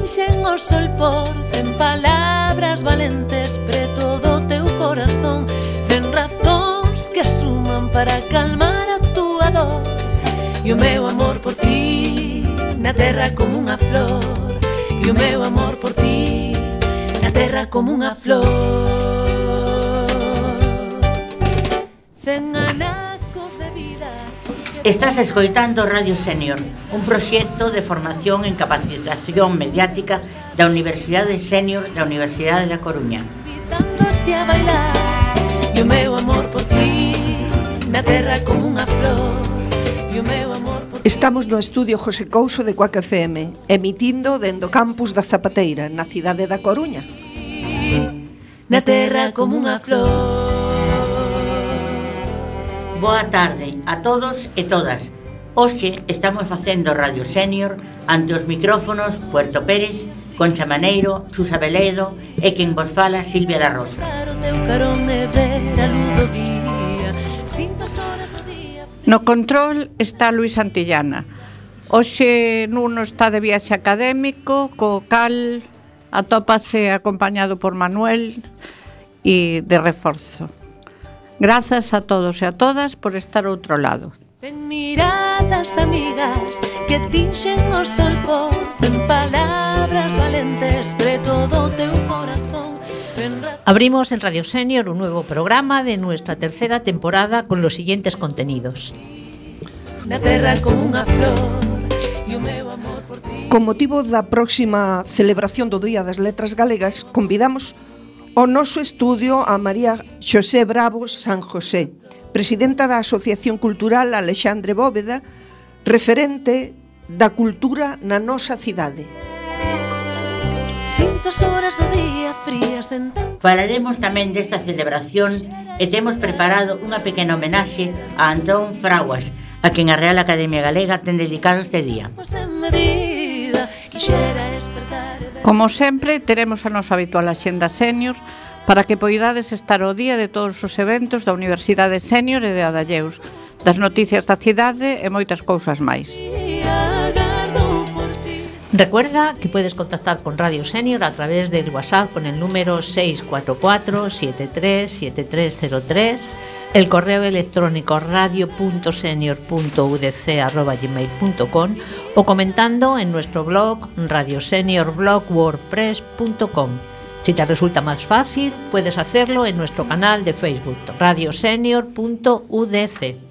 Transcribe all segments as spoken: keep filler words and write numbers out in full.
tinxen o sol por cen palabras valentes preto do teu corazón, cen razóns que suman para calmar a túa dor. E o meu amor por ti na terra como unha flor, e o meu amor por ti na terra como unha flor. Cen anacos de vida. Estás escoitando Radio Senior, un proxecto de formación en capacitación mediática da Universidade Senior da Universidade da Coruña. Invitándote a bailar, e o meu amor por ti na terra como unha flor, e o meu amor por ti. Estamos no estudio José Couso de Cuac F M, emitindo dende o campus da Zapateira, na cidade da Coruña. Na terra como unha flor. Boa tarde a todos e todas. Hoxe estamos facendo Radio Senior ante os micrófonos Puerto Pérez, Concha Maneiro, Susa Veledo e quen vos fala Silvia da Rosa. No control está Luis Santillana. Hoxe Nuno está de viaxe académico, co cal atópase acompañado por Manuel e de reforzo. Grazas a todos e a todas por estar ao outro lado. Cen miradas amigas que tinxen o sol por cen palabras valentes preto do teu corazón. Abrimos en Radio Senior un nuevo programa de nuestra tercera temporada con los siguientes contenidos. Na terra como unha flor, e o meu amor por ti. Con motivo da próxima celebración do Día das Letras Galegas, convidamos ao noso estudio a María Xosé Bravo San José, presidenta da Asociación Cultural Alexandre Bóveda, referente da cultura na nosa cidade. Sinto as horas do día frías en tempo. Falaremos tamén desta celebración e temos preparado unha pequena homenaxe a Antón Fraguas, a quen a Real Academia Galega ten dedicado este día. Como sempre, teremos a nosa habitual axenda senior para que poidades estar ao día de todos os eventos da Universidade Senior e de Adalleus, das noticias da cidade e moitas cousas máis. Recuerda que puedes contactar con Radio Senior a través del WhatsApp con el número seis cuatro cuatro siete tres siete tres cero tres, el correo electrónico radio punto senior punto u d c arroba gmail punto com o comentando en nuestro blog radio senior blog wordpress punto com. Si te resulta más fácil, puedes hacerlo en nuestro canal de Facebook radio senior punto u d c.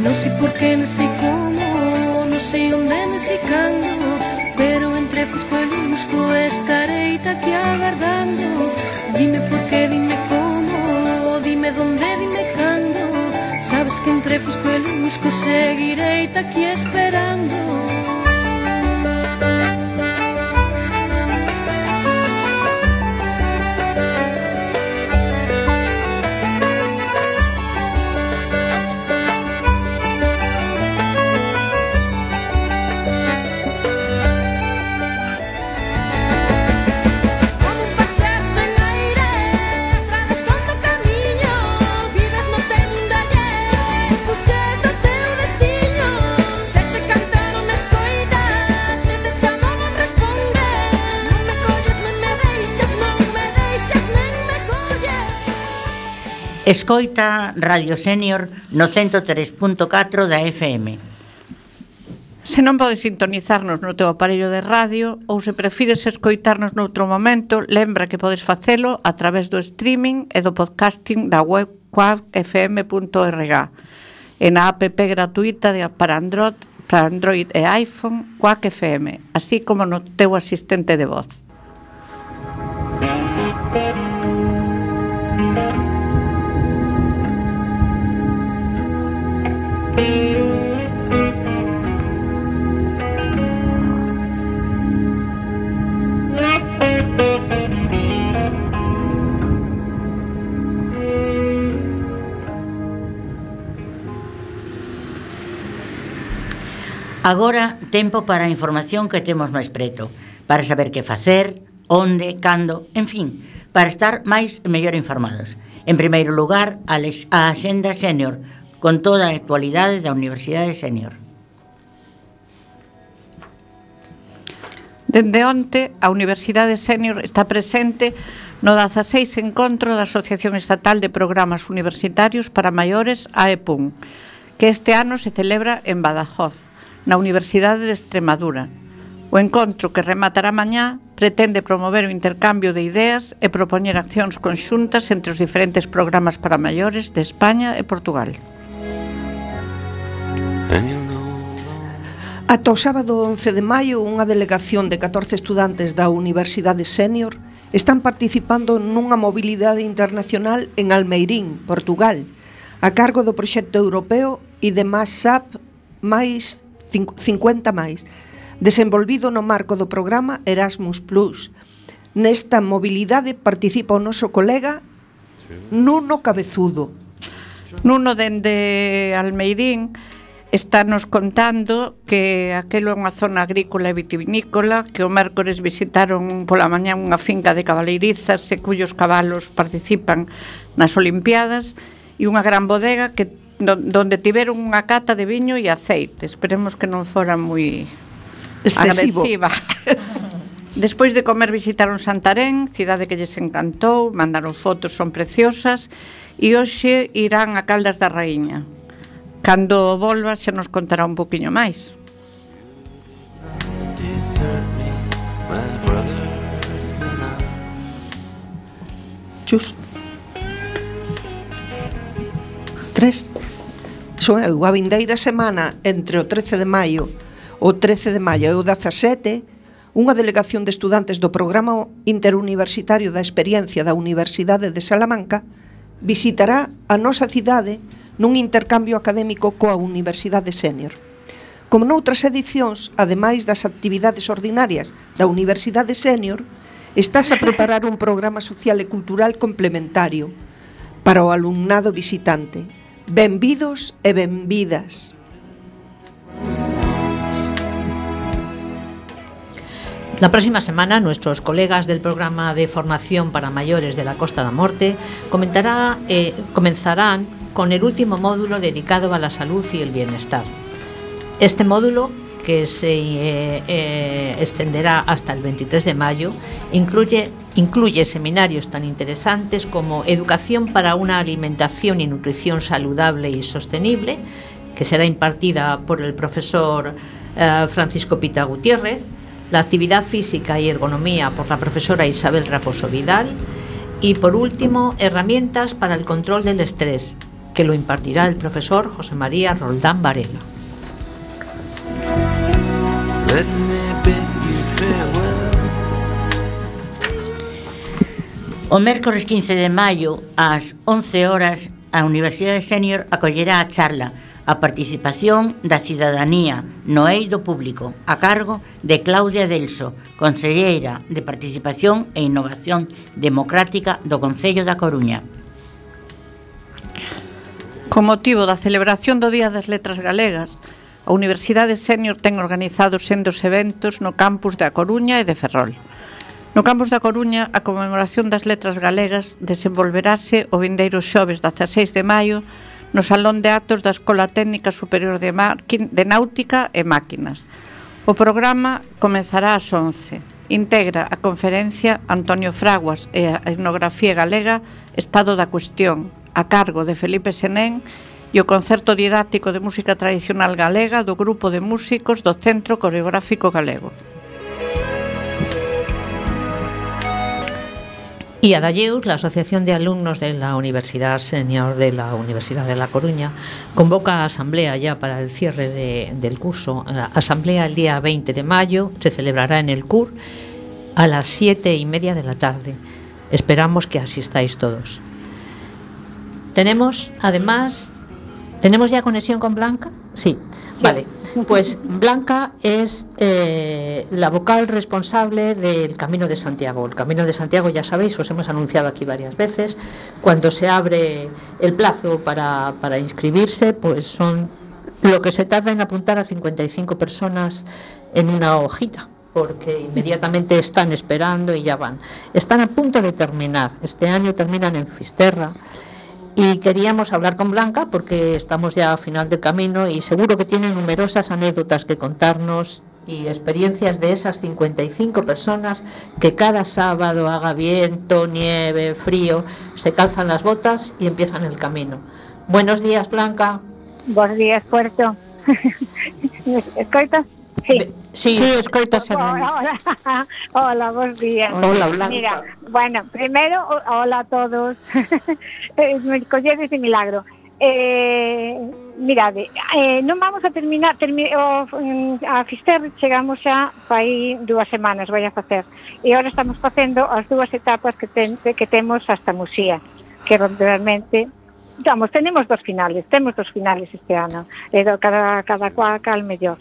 Non sei por que, non sei como, non sei onde, non sei cando, pero entre fusco e lusco estarei aquí agardando. Dime por que, dime como, dime donde, dime cando. Sabes que entre fusco e lusco seguirei aquí esperando. Escoita Radio Senior no ciento tres punto catro da F M. Se non podes sintonizarnos no teu aparello de radio ou se prefires escoitarnos noutro momento, lembra que podes facelo a través do streaming e do podcasting da web quack f m punto org e na app gratuita de, para, Android, para Android e iPhone Quack F M, así como no teu asistente de voz. Agora, tempo para a información que temos máis preto, para saber que facer, onde, cando, en fin, para estar máis e mellor informados. En primeiro lugar, a, les, a Axenda Senior, con toda a actualidade da Universidade Senior. Dende onte, a Universidade Senior está presente no dezaseis encontro da Asociación Estatal de Programas Universitarios para Maiores, A E P U M, que este ano se celebra en Badajoz, na Universidade de Extremadura. O encontro, que rematará mañá, pretende promover o intercambio de ideas e propoñer accións conxuntas entre os diferentes programas para maiores de España e Portugal. Ata o sábado once de maio, unha delegación de catorce estudantes da Universidade Senior están participando nunha mobilidade internacional en Almeirín, Portugal, a cargo do proxecto europeo I D M A S A P máis cincuenta máis, desenvolvido no marco do programa Erasmus plus. Nesta mobilidade participa o noso colega Nuno Cabezudo. Nuno, dende Almeirín, está nos contando que aquelo é unha zona agrícola e vitivinícola, que o mércores visitaron pola mañá unha finca de cabaleirizas e cuyos cabalos participan nas Olimpiadas, e unha gran bodega que donde tiveron unha cata de viño e aceite. Esperemos que non fora moi excesivo. Agresiva. Despois de comer visitaron Santarén, cidade que lles encantou, mandaron fotos, son preciosas, e hoxe irán a Caldas da Raíña. Cando volva se nos contará un poquinho máis. Chus. Tres. Son eu, a vindeira semana entre o trece de maio o trece de maio e o dezasete, unha delegación de estudantes do Programa Interuniversitario da Experiencia da Universidade de Salamanca visitará a nosa cidade nun intercambio académico coa Universidade Senior. Como noutras edicións, ademais das actividades ordinarias da Universidade Senior, estás a preparar un programa social e cultural complementario para o alumnado visitante. Benvidos e benvidas. La próxima semana, nuestros colegas del programa de formación para mayores de la Costa da Morte comentará, eh, comenzarán con el último módulo dedicado a la salud y el bienestar. Este módulo, que se eh, eh, extenderá hasta el veintitrés de mayo, incluye, incluye seminarios tan interesantes como Educación para una alimentación y nutrición saludable y sostenible, que será impartida por el profesor eh, Francisco Pita Gutiérrez, la actividad física y ergonomía por la profesora Isabel Raposo Vidal, y por último, herramientas para el control del estrés, que lo impartirá el profesor José María Roldán Varela. O mércores quince de maio, ás once horas, a Universidade Senior acollerá a charla A participación da cidadanía no eido público, a cargo de Claudia Delso, conselleira de Participación e Innovación Democrática do Concello da Coruña. Con motivo da celebración do Día das Letras Galegas, a Universidade Senior ten organizado sendos eventos no campus da Coruña e de Ferrol. No campus da Coruña, a conmemoración das Letras Galegas desenvolverase o vindeiro xoves dezaseis de maio no Salón de Actos da Escola Técnica Superior de, de Náutica e Máquinas. O programa comezará ás once. Integra a conferencia Antonio Fraguas e a etnografía galega Estado da Cuestión, a cargo de Felipe Senén, e o concerto didáctico de música tradicional galega do grupo de músicos do Centro Coreográfico Galego. Y a Dalleus, la Asociación de Alumnos de la Universidad Senior de la Universidad de La Coruña, convoca a asamblea ya para el cierre de, del curso. La asamblea el día veinte de mayo se celebrará en el C U R a las siete y media de la tarde. Esperamos que asistáis todos. Tenemos, además, ¿tenemos ya conexión con Blanca? Sí. Vale, pues Blanca es eh, la vocal responsable del Camino de Santiago. El Camino de Santiago, ya sabéis, os hemos anunciado aquí varias veces, cuando se abre el plazo para, para inscribirse, pues son lo que se tarda en apuntar a cincuenta y cinco personas en una hojita, porque inmediatamente están esperando y ya van. Están a punto de terminar, este año terminan en Fisterra. Y queríamos hablar con Blanca porque estamos ya a final del camino y seguro que tiene numerosas anécdotas que contarnos y experiencias de esas cincuenta y cinco personas que cada sábado, haga viento, nieve, frío, se calzan las botas y empiezan el camino. Buenos días, Blanca. Buenos días, Puerto. ¿Me escoitas? Sí, sí, sí, escoitas. Hola, hola, buenos días. Hola, Blanca. Mira, bueno, primero, hola a todos. Me colledes de milagro. Eh, mirade, eh, non vamos a terminar termi, o, a Fisterra chegamos xa fai dúas semanas, vai a facer, e agora estamos facendo as dúas etapas que, ten, que temos hasta Muxía, que realmente, vamos, tenemos dos finales, temos dos finales este ano, e do, cada, cada cual cal mellor.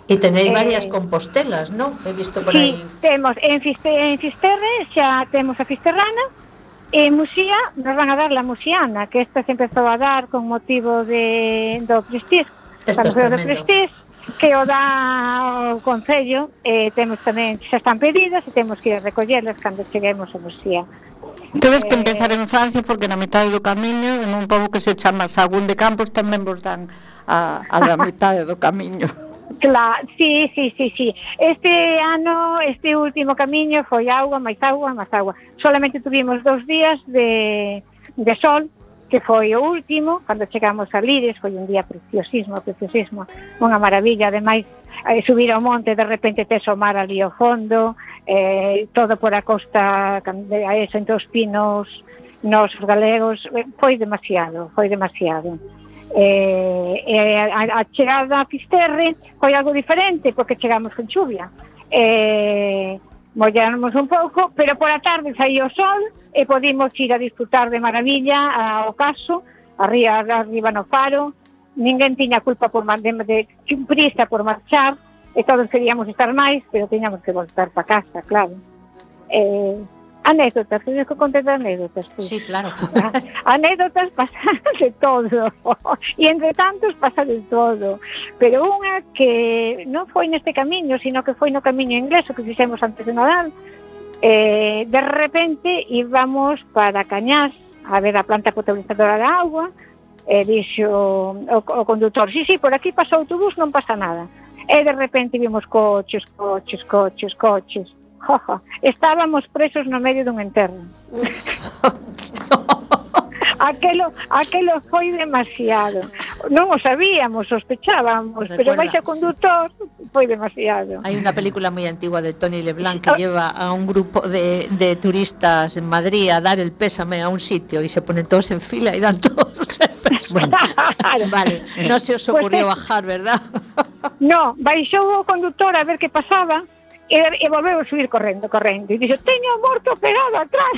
E tenéis eh, varias compostelas, ¿no? He visto por sí, aí. Temos en, Fiste, en Fisterre, xa temos a Fisterrana, e en Muxía nos van a dar la muxiana, que esta se empezou a dar con motivo de, do Prestige, Esto es do tremendo. Prestige, que o dá o Concello, e temos tamén, xa están pedidas, e temos que ir a recollelas cando cheguemos a Muxía. Tedes que empezar en Francia porque na metade do camiño, en un pobo que se chama Sagún de Campos, tamén vos dan a, a la metade do camiño. Claro, sí, sí, sí, sí. Este ano, este último camiño foi auga, máis auga, máis agua. Solamente tuvimos dos días de, de sol, que foi o último, cando chegamos a Lires, foi un día preciosísimo, preciosísimo, unha maravilla. Ademais, eh, subir ao monte, de repente tes o mar ali ao fondo, eh, todo por a costa, a eso, entre os pinos, nos galegos, foi demasiado, foi demasiado. Eh, eh, a, a chegada a Fisterre foi algo diferente porque chegamos con chuvia, eh, mollamos un pouco, pero por a tarde saía o sol e podimos ir a disfrutar de maravilla ao caso, arriba, arriba no faro. Ninguén tiña culpa por de, de prisa por marchar, e todos queríamos estar máis, pero tiñamos que voltar para casa, claro. eh, Anécdotas, que que conté de anécdotas. Pues. Sí, claro. Anécdotas pasan de todo. E entre tantos pasa de todo. Pero unha que non foi neste camiño, sino que foi no camiño inglés, que fixemos antes de Nadal. Eh, de repente íbamos para Cañás a ver a planta potabilizadora da agua. E dixo o, o conductor, sí, sí, por aquí pasa o autobús, non pasa nada. E de repente vimos coches, coches, coches, coches. Jojo, estábamos presos no medio dun enterro. aquelo, aquelo foi demasiado. Non o sabíamos, sospechábamos, pero vais a conductor, foi demasiado. Hay una película muy antigua de Tony Leblanc que lleva a un grupo de, de turistas en Madrid a dar el pésame a un sitio y se ponen todos en fila y dan todos el pésame. Bueno, vale, no se os ocurrió pues bajar, ¿verdad? No, baixou o conductor a ver que pasaba. E, e volveu a subir correndo, correndo. E dixo, teño o morto pegado atrás.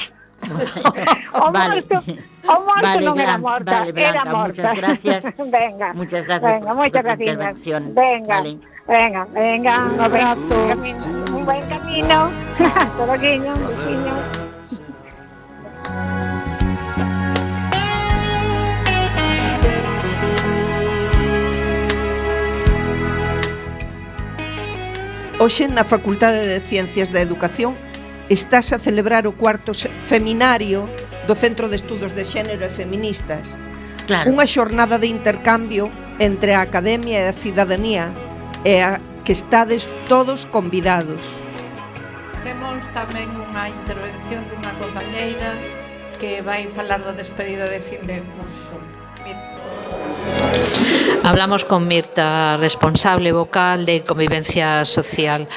o vale. morto, o morto vale, non era Blanca, morta, vale, Blanca, era morta. Muchas gracias. venga, muchas gracias venga, por, muchas por tu gracias. intervención. Venga, vale. venga, venga, un abrazo. Un buen camino. Todo guiño, un besiño. Hoxe na Facultade de Ciencias da Educación estás a celebrar o cuarto feminario do Centro de Estudos de Xénero e Feministas. Claro. Unha xornada de intercambio entre a academia e a cidadanía e a que estades todos convidados. Temos tamén unha intervención dunha compañeira que vai falar da despedida de fin de curso. Mira. Hablamos con Mirta, responsable vocal de Convivencia Social.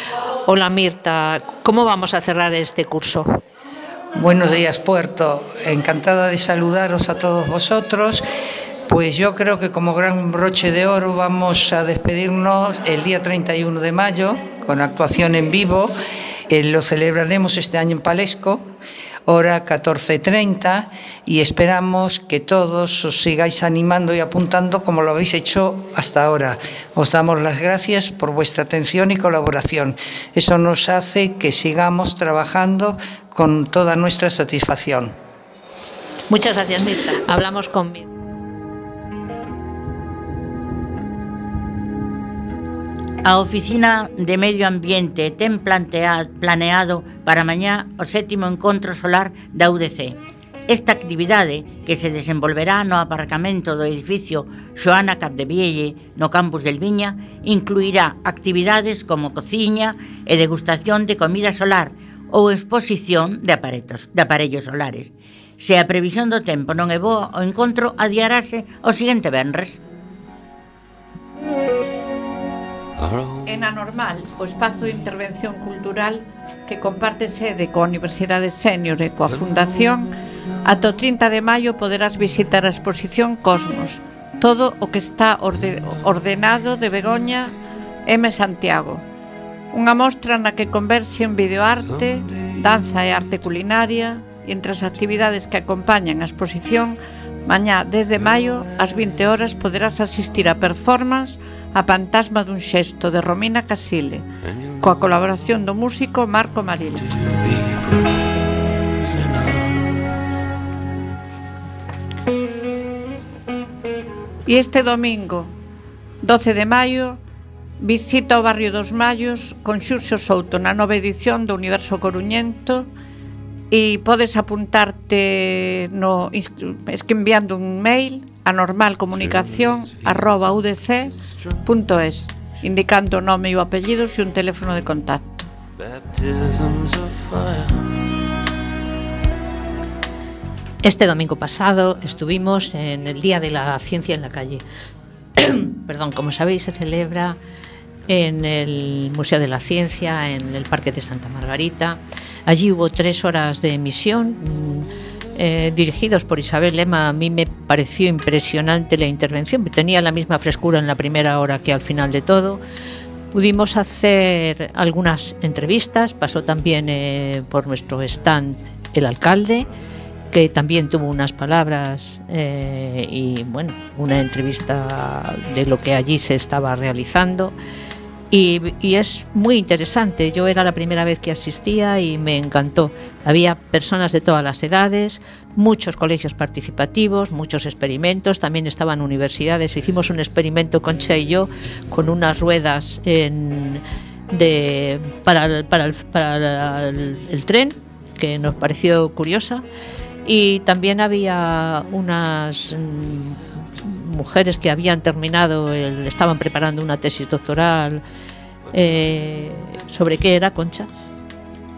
Hola Mirta, ¿cómo vamos a cerrar este curso? Buenos días, Puerto. Encantada de saludaros a todos vosotros. Pues yo creo que como gran broche de oro vamos a despedirnos el día treinta y uno de mayo con actuación en vivo. Eh, lo celebraremos este año en Palesco, hora catorce treinta, y esperamos que todos os sigáis animando y apuntando como lo habéis hecho hasta ahora. Os damos las gracias por vuestra atención y colaboración. Eso nos hace que sigamos trabajando con toda nuestra satisfacción. Muchas gracias, Mirta. Hablamos con Mirta. A Oficina de Medio Ambiente ten plantea, planeado para mañá o sétimo encontro solar da U D C. Esta actividade, que se desenvolverá no aparcamento do edificio Xoana Capdevielle, no campus del Viña, incluirá actividades como cociña e degustación de comida solar ou exposición de aparellos, de aparellos solares. Se a previsión do tempo non é boa, o encontro adiarase o seguinte venres. En Anormal, o espazo de intervención cultural que comparte sede coa Universidade Sénior e coa Fundación, ata o trinta de maio poderás visitar a exposición Cosmos, todo o que está orde ordenado de Begoña M. Santiago. Unha mostra na que converxe en videoarte, danza e arte culinaria, e entre as actividades que acompañan a exposición, mañá dez de maio, ás vinte horas, poderás asistir a performance A Fantasma dun xesto, de Romina Casile, coa colaboración do músico Marco Maril. E este domingo, doce de maio, visita o barrio dos Mallos con Xurxo Souto na nova edición do Universo Coruñento, e podes apuntarte no, enviando un mail a normalcomunicación arroba u d c punto es, indicando o nome e o apellido e un teléfono de contacto. Este domingo pasado estuvimos en el Día de la Ciencia en la Calle. Perdón, como sabéis, se celebra en el Museo de la Ciencia, en el Parque de Santa Margarita. Allí hubo tres horas de emisión eh, dirigidos por Isabel Lema. A mí me pareció impresionante la intervención, tenía la misma frescura en la primera hora que al final de todo. Pudimos hacer algunas entrevistas, pasó también eh, por nuestro stand el alcalde, que también tuvo unas palabras eh, y bueno, una entrevista de lo que allí se estaba realizando. Y, y es muy interesante. Yo era la primera vez que asistía y me encantó. Había personas de todas las edades, muchos colegios participativos, muchos experimentos, también estaban universidades. Hicimos un experimento, Concha y yo, con unas ruedas en, de, para, el, para, el, para el, el tren, que nos pareció curiosa. Y también había unas mujeres que habían terminado, el, estaban preparando una tesis doctoral. Eh, ¿Sobre qué era, Concha?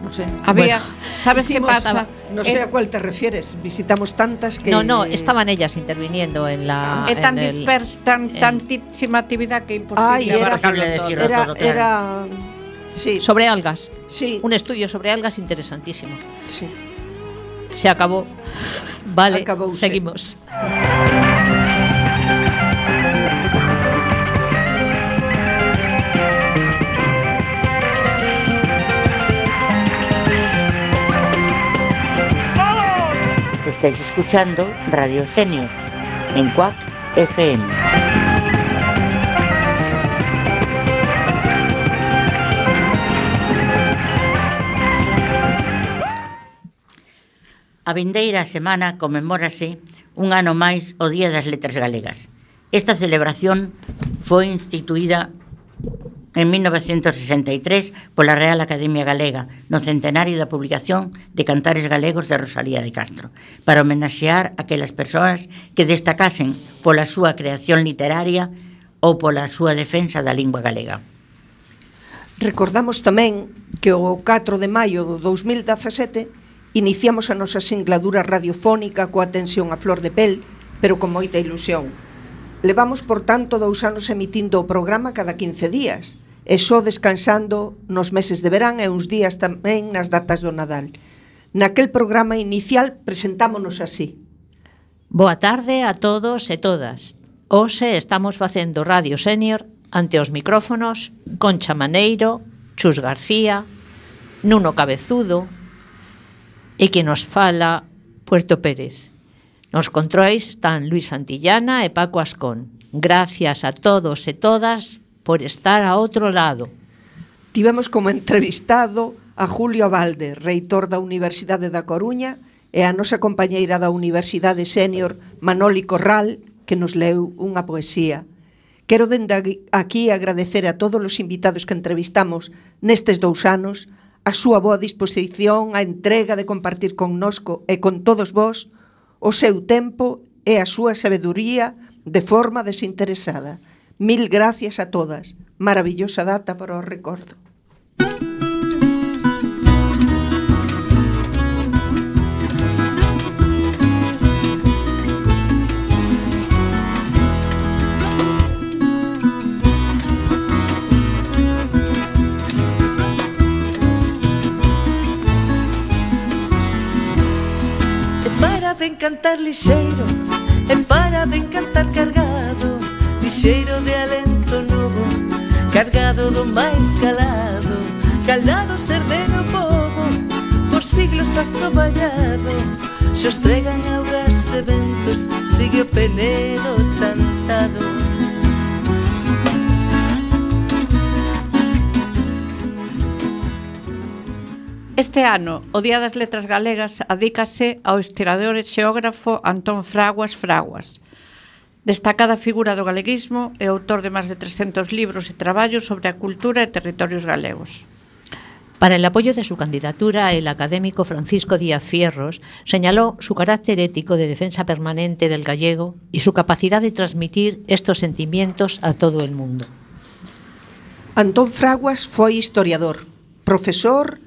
No sé. Había, Bueno, ¿sabes qué hicimos, pasa? estaba, no sé a cuál te refieres. Visitamos tantas que... No, no, estaban ellas interviniendo en la... É tan en el, disperso, tan, en, tantísima actividad que é imposible. Ay, era, abarcarlo todo. era, todo, claro. era, sí, sobre algas. sí, Un estudio sobre algas interesantísimo. sí. Se acabó. Vale, Acabouse. seguimos. Estáis escuchando Radio Sénior en C U A C F M. A vindeira semana conmemórase un ano máis o Día das Letras Galegas. Esta celebración foi instituída en mil novecentos sesenta e tres pola Real Academia Galega no centenario da publicación de Cantares Galegos de Rosalía de Castro, para homenaxear aquelas persoas que destacasen pola súa creación literaria ou pola súa defensa da lingua galega. Recordamos tamén que o catro de maio do dous mil dezasete iniciamos a nosa singladura radiofónica coa tensión a flor de pel, pero con moita ilusión. Levamos, por tanto, dous anos emitindo o programa cada quince días, e só descansando nos meses de verán e uns días tamén nas datas do Nadal. Naquel programa inicial presentámonos así. Boa tarde a todos e todas. Hoxe estamos facendo Radio Senior ante os micrófonos Concha Maneiro, Chus García, Nuno Cabezudo e que nos fala Puerto Pérez. Nos controis están Luis Santillana e Paco Ascón. Gracias a todos e todas por estar a outro lado. Tivemos como entrevistado a Julio Valde, reitor da Universidade da Coruña, e a nosa compañeira da Universidade Senior, Manoli Corral, que nos leu unha poesía. Quero dende aquí agradecer a todos os invitados que entrevistamos nestes dous anos a súa boa disposición, a entrega de compartir connosco e con todos vós o seu tempo e a súa sabeduría de forma desinteresada. Mil gracias a todas. Maravillosa data para o recordo. Ben cantar lixeiro, e para ben cantar cargado, lixeiro de alento novo, cargado do máis calado, calado ser de meu povo, por siglos asoballado, xo estregan augas e ventos, sigue o penedo chantado. Este ano, o Día das Letras Galegas adícase ao historiador e xeógrafo Antón Fraguas Fraguas, destacada figura do galeguismo e autor de máis de trescentos libros e traballos sobre a cultura e territorios galegos. Para el apoyo de su candidatura, el académico Francisco Díaz Fierros señaló su carácter ético de defensa permanente del gallego y su capacidad de transmitir estos sentimientos a todo el mundo. Antón Fraguas foi historiador, profesor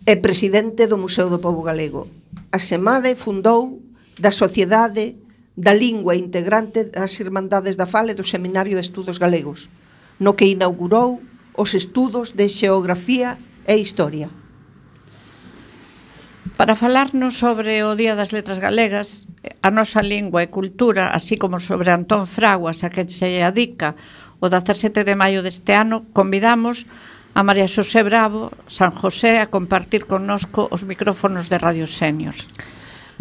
e presidente do Museo do Pobo Galego. Asemade fundou da Sociedade da Lingua integrante das Irmandades da Fala e do Seminario de Estudos Galegos, no que inaugurou os estudos de xeografía e historia. Para falarnos sobre o Día das Letras Galegas, a nosa lingua e cultura, así como sobre Antón Fraguas, a que se adica o dezasete de maio deste ano, convidamos a María Xosé Bravo, San José, a compartir connosco os micrófonos de Radio Senior.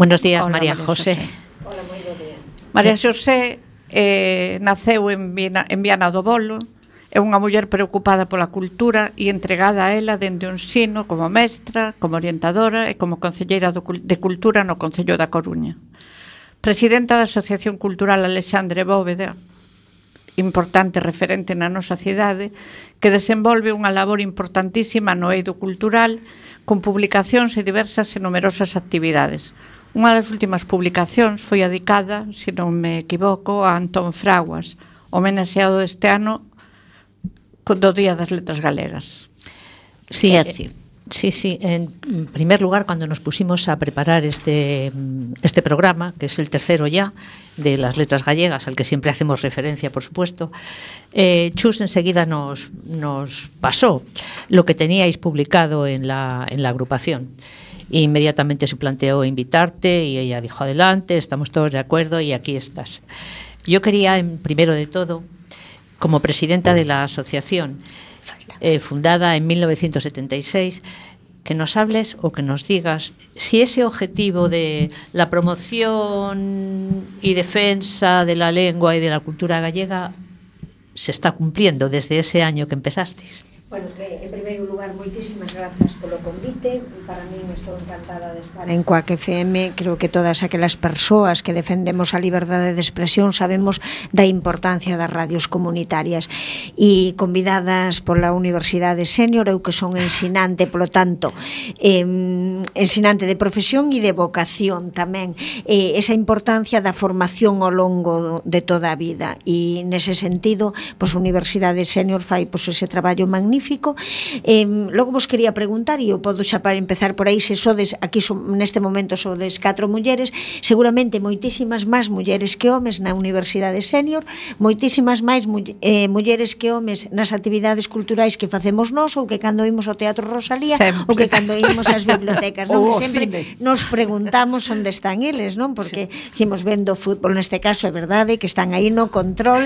Buenos días, Hola, María, María José. José. Hola, moi bo día. María Xosé eh, naceu en Viana, en Viana do Bolo, é unha muller preocupada pola cultura e entregada a ela dende o ensino como mestra, como orientadora e como concelleira de Cultura no Concello da Coruña. Presidenta da Asociación Cultural Alexandre Bóveda, importante referente na nosa cidade, que desenvolve unha labor importantísima no eido cultural, con publicacións e diversas e numerosas actividades. Unha das últimas publicacións foi dedicada, se non me equivoco, a Antón Fraguas, homenaxeado este ano do Día das Letras Galegas. Sí, é así. Sí, sí. En primer lugar, cuando nos pusimos a preparar este, este programa, que es el tercero ya, de las letras gallegas, al que siempre hacemos referencia, por supuesto, eh, Chus enseguida nos, nos pasó lo que teníais publicado en la, en la agrupación. Inmediatamente se planteó invitarte y ella dijo, adelante, estamos todos de acuerdo y aquí estás. Yo quería, en, primero de todo, como presidenta de la asociación, Eh, fundada en mil novecientos setenta y seis, que nos hables o que nos digas si ese objetivo de la promoción y defensa de la lengua y de la cultura gallega se está cumpliendo desde ese año que empezasteis. Bueno, que en primeiro lugar, moitísimas grazas polo convite. Para min estou encantada de estar en Coac F M. Creo que todas aquelas persoas que defendemos a liberdade de expresión sabemos da importancia das radios comunitarias. E convidadas pola Universidade Senior, eu que son ensinante, polo tanto, eh, ensinante de profesión e de vocación tamén. Eh, esa importancia da formación ao longo de toda a vida. E nese sentido, pois, a Universidade Senior fai pois, ese traballo magnífico magnífico. Eh, logo vos quería preguntar, e eu podo xa para empezar por aí, se sodes, aquí son, neste momento sodes catro mulleres, seguramente moitísimas máis mulleres que homes na Universidade Sénior, moitísimas máis mu eh, mulleres que homes nas actividades culturais que facemos nós, ou que cando imos ao Teatro Rosalía, sempre. Ou que cando imos ás bibliotecas, non? Que sempre nos preguntamos onde están eles, non? Porque dicimos vendo fútbol, neste caso é verdade que están aí no control.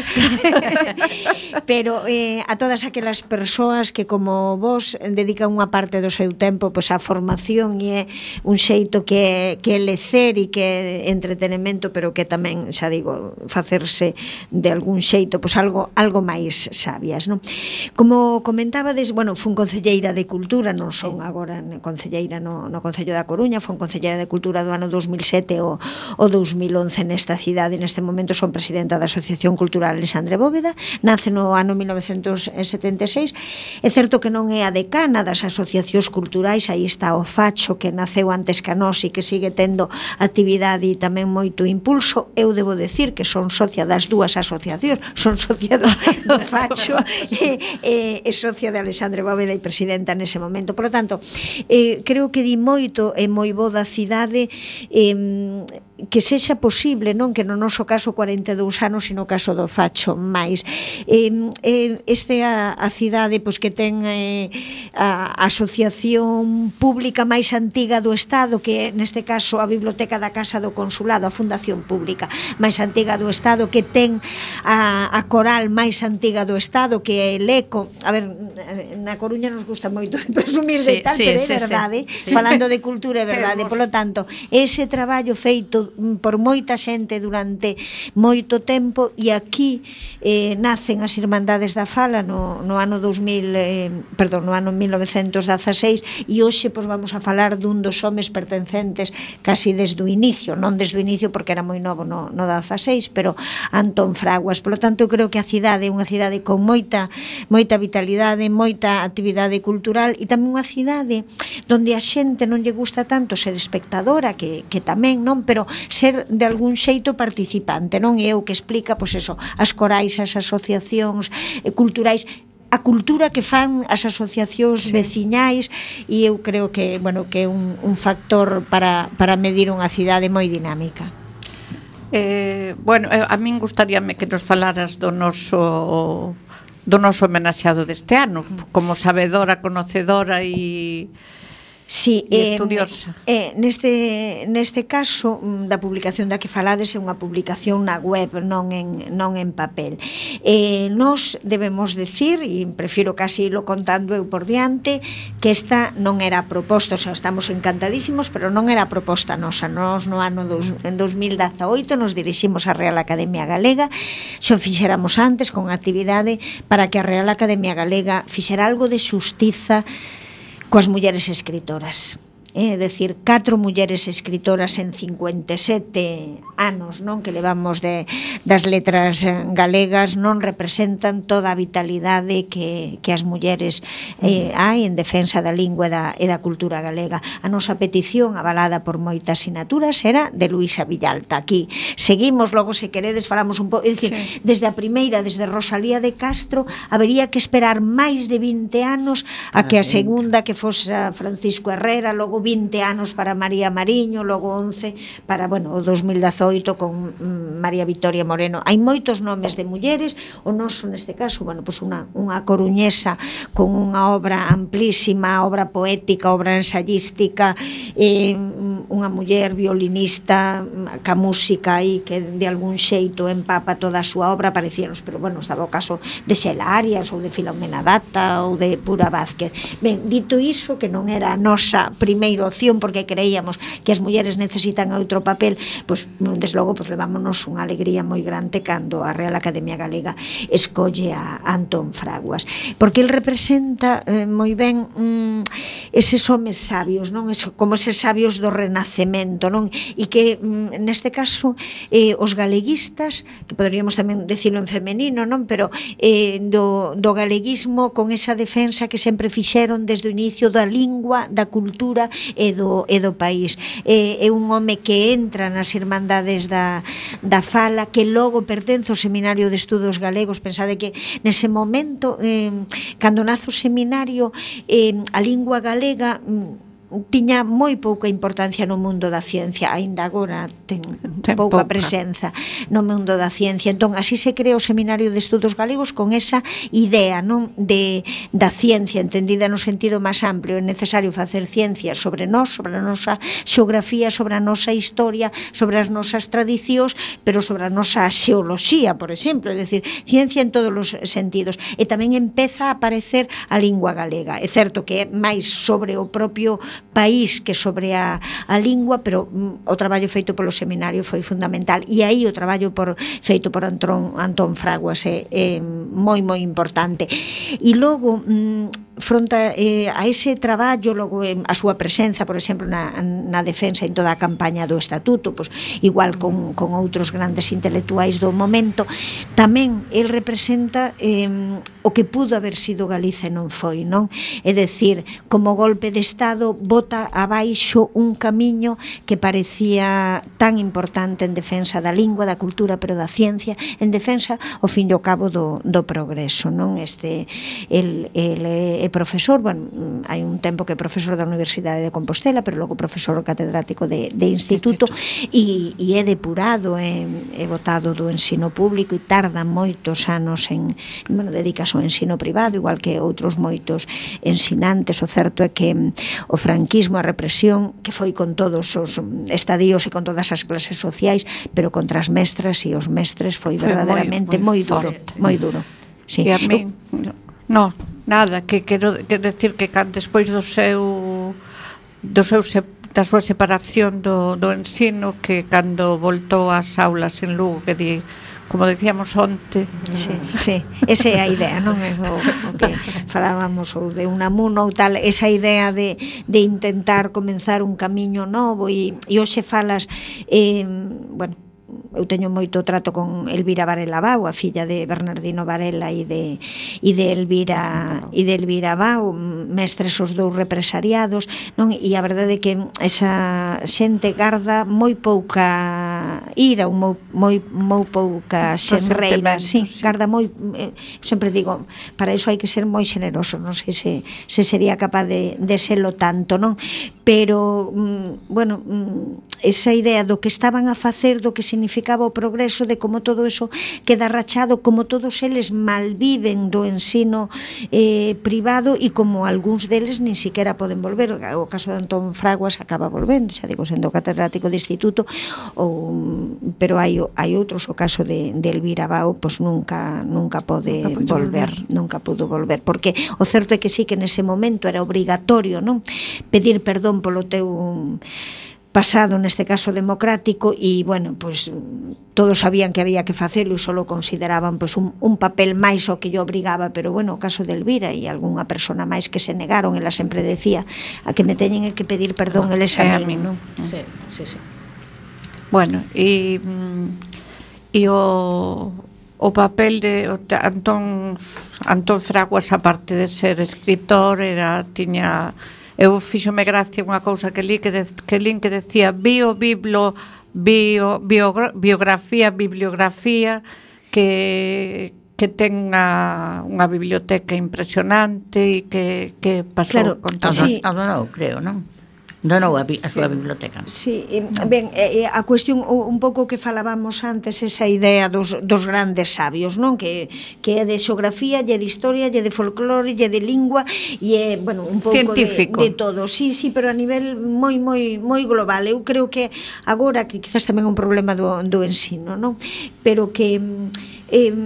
Pero eh, a todas aquelas persoas que como vos dedican unha parte do seu tempo pois á formación e é un xeito que que é lecer e que é entretenimento, pero que tamén, xa digo, facerse de algún xeito pois algo algo máis sabias, non? Como comentabades, bueno, fun concelleira de Cultura, non son agora concelleira no, no Concello da Coruña, fun concelleira de Cultura do ano dos mil sete o, o dos mil once nesta cidade. Neste momento son presidenta da Asociación Cultural Alexandre Bóveda, nace no ano mil novecentos setenta e seis. É certo que non é a decana das asociacións culturais, aí está o Facho, que naceu antes que a nós e que sigue tendo actividade e tamén moito impulso. Eu debo decir que son socia das dúas asociacións, son socia do, do Facho e, e, e socia de Alexandre Bóveda e presidenta nese momento. Por lo tanto, eh, creo que di moito e moi bo da cidade eh, que sexa posible, non que no noso caso cuarenta e dous anos, sino no caso do Facho máis. Eh, eh, este a, a cidade pois, que ten eh, a asociación pública máis antiga do Estado, que é neste caso a Biblioteca da Casa do Consulado, a Fundación Pública máis antiga do Estado, que ten a, a coral máis antiga do Estado, que é el ECO. A ver, na Coruña nos gusta moito presumir sí, de tal, sí, pero é sí, verdade, sí. Falando de cultura é verdade. Por lo tanto, ese traballo feito por moita xente durante moito tempo, e aquí eh, nacen as Irmandades da Fala no, no ano dos mil, eh, perdón, no ano mil novecentos dezaseis, e hoxe pois, vamos a falar dun dos homes pertencentes casi desde o inicio, non desde o inicio porque era moi novo no, no dezaseis, pero Antón Fraguas. Por lo tanto, eu creo que a cidade é unha cidade con moita moita vitalidade, moita actividade cultural, e tamén unha cidade onde a xente non lle gusta tanto ser espectadora, que, que tamén, non, pero ser de algún xeito participante, non? E eu que explica, pois eso, as corais, as asociacións eh, culturais, a cultura que fan as asociacións sí. veciñais, e eu creo que, bueno, que é un, un factor para, para medir unha cidade moi dinámica. Eh, bueno, a min gustaríame que nos falaras do noso do noso homenaxeado deste ano, como sabedora, conocedora e Sí, eh, estudiosa. Eh, neste, neste caso da publicación da que falades é unha publicación na web, non en, non en papel. Eh, nos debemos decir, e prefiro casi lo contando eu por diante, que esta non era proposta, o sea, estamos encantadísimos, pero non era proposta nosa. Nos no ano dos, en dos mil dezaoito nos diriximos á Real Academia Galega, xo fixéramos antes con actividade para que a Real Academia Galega fixera algo de xustiza coas mulleres escritoras. É dicir, catro mulleres escritoras en cincuenta e sete anos, non, que levamos de, das letras galegas, non representan toda a vitalidade que, que as mulleres eh, hai en defensa da lingua e da, e da cultura galega. A nosa petición, avalada por moitas sinaturas, era de Luisa Villalta. Aquí seguimos, logo se queredes falamos un pouco, é dicir, sí. Desde a primeira, desde Rosalía de Castro, habería que esperar máis de vinte anos a que a segunda, que fose Francisco Herrera, logo vinte anos para María Mariño, logo once para, bueno, o dos mil dezaoito con mm, María Victoria Moreno. Hai moitos nomes de mulleres, o noso neste caso, bueno, pois unha, unha coruñesa con unha obra amplísima, obra poética, obra ensayística, eh, unha muller violinista, ca música aí que de algún xeito empapa toda a súa obra, parecíanos, pero bueno, estaba o caso de Xela Arias ou de Filomena Data ou de Pura Vázquez. Ben, dito iso, que non era a nosa primeira opción, porque creíamos que as mulleres necesitan outro papel, pois, desde logo, pois, levámonos unha alegría moi grande cando a Real Academia Galega escolle a Antón Fraguas, porque el representa eh, moi ben mm, eses homes sabios, non? Es, como eses sabios do Renacimiento, nacemento, non? E que neste caso eh, os galeguistas, que poderíamos tamén decirlo en femenino, non? Pero eh, do, do galeguismo con esa defensa que sempre fixeron desde o inicio da lingua, da cultura e do, e do país. Eh, é un home que entra nas irmandades da, da fala, que logo pertence ao Seminario de Estudos Galegos. Pensade que nese momento, eh, cando nace o seminario, eh, a lingua galega tiña moi pouca importancia no mundo da ciencia, aínda agora ten, ten pouca, pouca presenza no mundo da ciencia. Entón, así se crea o Seminario de Estudos Galegos con esa idea, non, de da ciencia entendida no sentido máis amplio. É necesario facer ciencia sobre nós, sobre a nosa xeografía, sobre a nosa historia, sobre as nosas tradicións, pero sobre a nosa xeoloxía, por exemplo, é dicir, ciencia en todos os sentidos. E tamén empeza a aparecer a lingua galega. É certo que é máis sobre o propio país que sobre a, a lingua, pero mm, o traballo feito polo seminario foi fundamental, e aí o traballo por, feito por Antón, Antón Fraguas é, é moi moi importante. E logo mm, fronte eh, a ese traballo, logo eh, a súa presenza, por exemplo, na, na defensa en toda a campaña do Estatuto, pois, igual con, con outros grandes intelectuais do momento, tamén el representa eh, o que pudo haber sido Galiza e non foi, non? É dicir, como golpe de Estado bota abaixo un camiño que parecía tan importante en defensa da lingua, da cultura, pero da ciencia, en defensa, ao fin e ao cabo, do, do progreso, non? Este, el, el é profesor, bueno, hai un tempo que é profesor da Universidade de Compostela, pero logo profesor catedrático de, de instituto, e, e é depurado, é, é votado do ensino público e tarda moitos anos en, bueno, dedicas ao ensino privado, igual que outros moitos ensinantes. O certo é que o franquismo, a represión, que foi con todos os estadios e con todas as clases sociais, pero contra as mestras e os mestres foi verdadeiramente moi, moi, moi duro, moi duro. Sí. E a mí, no, nada, que quero que decir que despois do seu do seu se, da súa separación do, do ensino, que cando voltou ás aulas en Lugo, que di, como decíamos onte, sí, sí, esa é a idea, non é o, o que falábamos ou de Unamuno ou tal, esa idea de, de intentar comenzar un camiño novo, e, e hoxe falas eh, bueno, eu teño moito trato con Elvira Varela Bau, a filla de Bernardino Varela e de, e de Elvira e de Elvira Bau, mestres os dous represariados, non? E a verdade é que esa xente garda moi pouca ira ou moi, moi, moi pouca xenreira, sí, garda moi, eh, sempre digo, para iso hai que ser moi xeneroso, non sei se, se sería capaz de, de selo tanto, non? Pero, mm, bueno, mm, esa idea do que estaban a facer, do que significaba o progreso, de como todo eso queda rachado, como todos eles malviven do ensino eh, privado, e como algúns deles nin siquiera poden volver. O caso de Antón Fraguas acaba volvendo, xa digo, sendo catedrático de instituto, ou, pero hai, hai outros, o caso de, de Elvira Bau, pois nunca, nunca pode nunca volver, volver, nunca pudo volver, porque o certo é que sí que nese momento era obrigatorio, non? Pedir perdón polo teu pasado, neste caso democrático, e, bueno, pois todos sabían que había que facelo e só lo consideraban pois un, un papel máis o que yo obrigaba, pero, bueno, o caso de Elvira e algunha persona máis que se negaron, ela sempre decía, a que me teñen que pedir perdón eles a mí, non? Sí, sí, sí. Bueno, e e o o papel de Antón Antón Fraguas, aparte de ser escritor, era tiña eu fíxome gracia unha cousa que li que, de, que li que decía bio, biblo, bio, bio, biografía, bibliografía, que que ten unha, unha biblioteca impresionante e que, que pasou claro, con todo. Sí. Adonou, creo, non? Donou a, a súa sí. biblioteca. Sí, ben, eh, a cuestión un pouco que falábamos antes, esa idea dos, dos grandes sabios, non? Que, que é de xeografía, e de historia, e de folclore, e de lingua, e é, bueno, un pouco de, de todo. Sí, sí, pero a nivel moi, moi, moi global. Eu creo que agora, que quizás tamén é un problema do, do ensino, non? Pero que eh,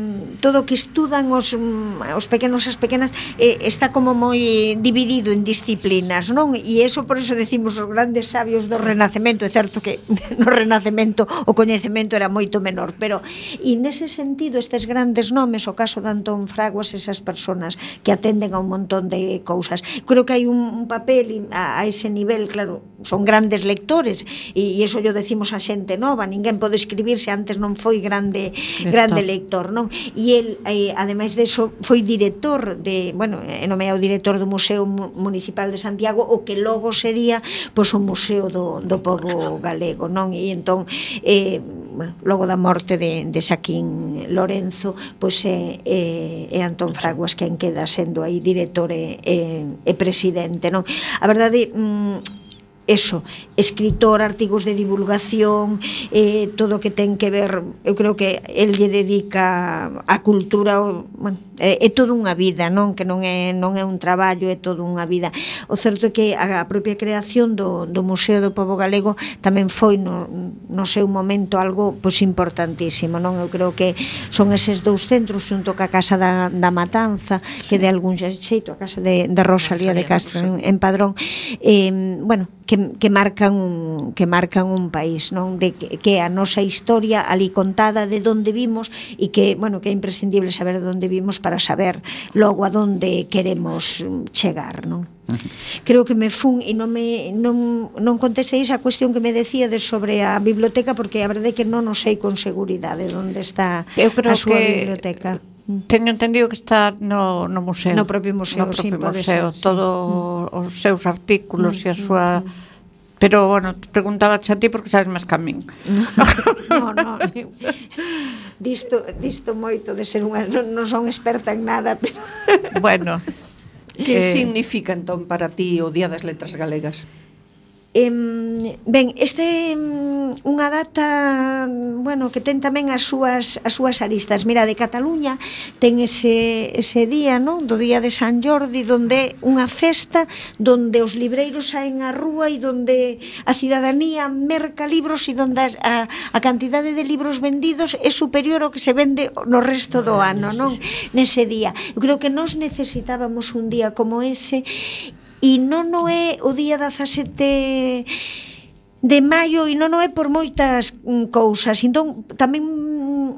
todo o que estudan os, os pequenos e as pequenas eh, está como moi dividido en disciplinas, non? E eso por eso decimos os grandes sabios do Renacemento. É certo que no Renacemento o coñecemento era moito menor, pero e nese sentido estes grandes nomes, o caso de Antón Fraguas, esas persoas que atenden a un montón de cousas, creo que hai un, un papel a, a ese nivel, claro, son grandes lectores e, e eso yo decimos a xente nova, ninguén pode escribir se antes non foi grande lector. grande lector, non? E el, eh, ademais de eso, foi director de, bueno, nomeado director do Museo Municipal de Santiago, o que logo sería pois o Museo do, do Pobo Galego, non? E entón, eh, bueno, logo da morte de, de Xaquín Lorenzo, pois é, é, é Antón Fraguas quen queda sendo aí director e, e, e presidente, non? A verdade, mm, eso, escritor, artigos de divulgación, eh, todo o que ten que ver, eu creo que el lle dedica a cultura, bueno, é, é toda unha vida, non? Que non é, non é un traballo, é toda unha vida. O certo é que a, a propia creación do, do Museo do Pobo Galego tamén foi no, no seu momento algo pois importantísimo, non? Eu creo que son eses dous centros xunto ca Casa da, da Matanza, que de algún xeito a Casa de, de Rosalía de Castro en, en Padrón, eh, bueno, que, que marcan un que marcan un país, non? De que, que a nosa historia ali contada de onde vimos e que, bueno, que é imprescindible saber de onde vimos para saber logo a onde queremos chegar, non? Creo que me fun e non me non non contestei esa cuestión que me decía de sobre a biblioteca, porque a verdade é que non o sei con seguridade onde está Eu creo a súa que biblioteca. Teño entendido que está no, no museo. No propio museo, no propio sí, pode museo, ser, sí. Todo mm. os seus artículos mm. e a súa... Mm. Pero, bueno, preguntaba a ti porque sabes máis que a min. No, no, no. Disto, disto moito de ser unha... Non, non son experta en nada, pero... Bueno. Que eh... significa, entón, para ti o Día das Letras Galegas? Eh, ben, este unha data, bueno, que ten tamén as súas as súas aristas. Mira, de Cataluña ten ese ese día, non, do día de San Jordi, donde unha festa donde os libreiros saen á rúa e donde a cidadanía merca libros e donde a, a cantidade de libros vendidos é superior ao que se vende no resto do ano, non? Nese día. Eu creo que nós necesitábamos un día como ese. E non o é o día dezasete de maio e non o é por moitas cousas. Entón, tamén,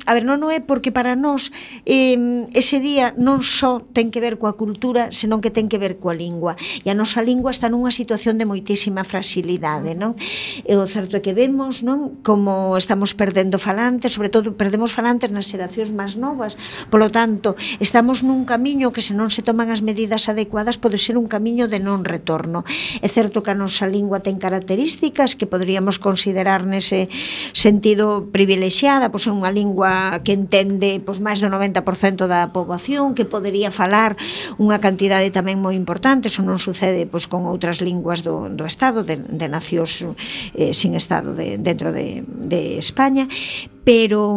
a ver, non o é porque para nós eh, ese día non só ten que ver coa cultura, senón que ten que ver coa lingua. E a nosa lingua está nunha situación de moitísima fragilidade, non? E o certo é que vemos, non, como estamos perdendo falantes, sobre todo perdemos falantes nas xeracións máis novas. Polo tanto, estamos nun camiño que se non se toman as medidas adecuadas pode ser un camiño de non retorno. É certo que a nosa lingua ten características que poderíamos considerar nese sentido privilexiada, pois é unha lingua que entende pois máis do noventa por cento da poboación, que podería falar unha cantidade tamén moi importante. Eso non sucede pois con outras linguas do, do Estado, de, de nacións eh, sin Estado de, dentro de, de España. Pero,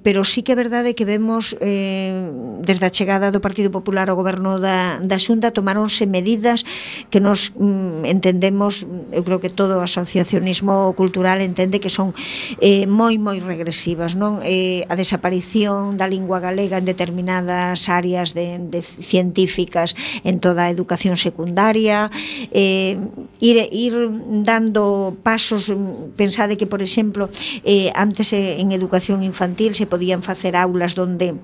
pero sí que é verdade que vemos eh, desde a chegada do Partido Popular ao goberno da, da Xunta tomáronse medidas que nos mm, entendemos, eu creo que todo o asociacionismo cultural entende que son eh, moi moi regresivas, non? Eh, a desaparición da lingua galega en determinadas áreas de, de científicas en toda a educación secundaria, eh, ir, ir dando pasos. Pensade que, por exemplo, eh, antes en educación infantil se podían facer aulas donde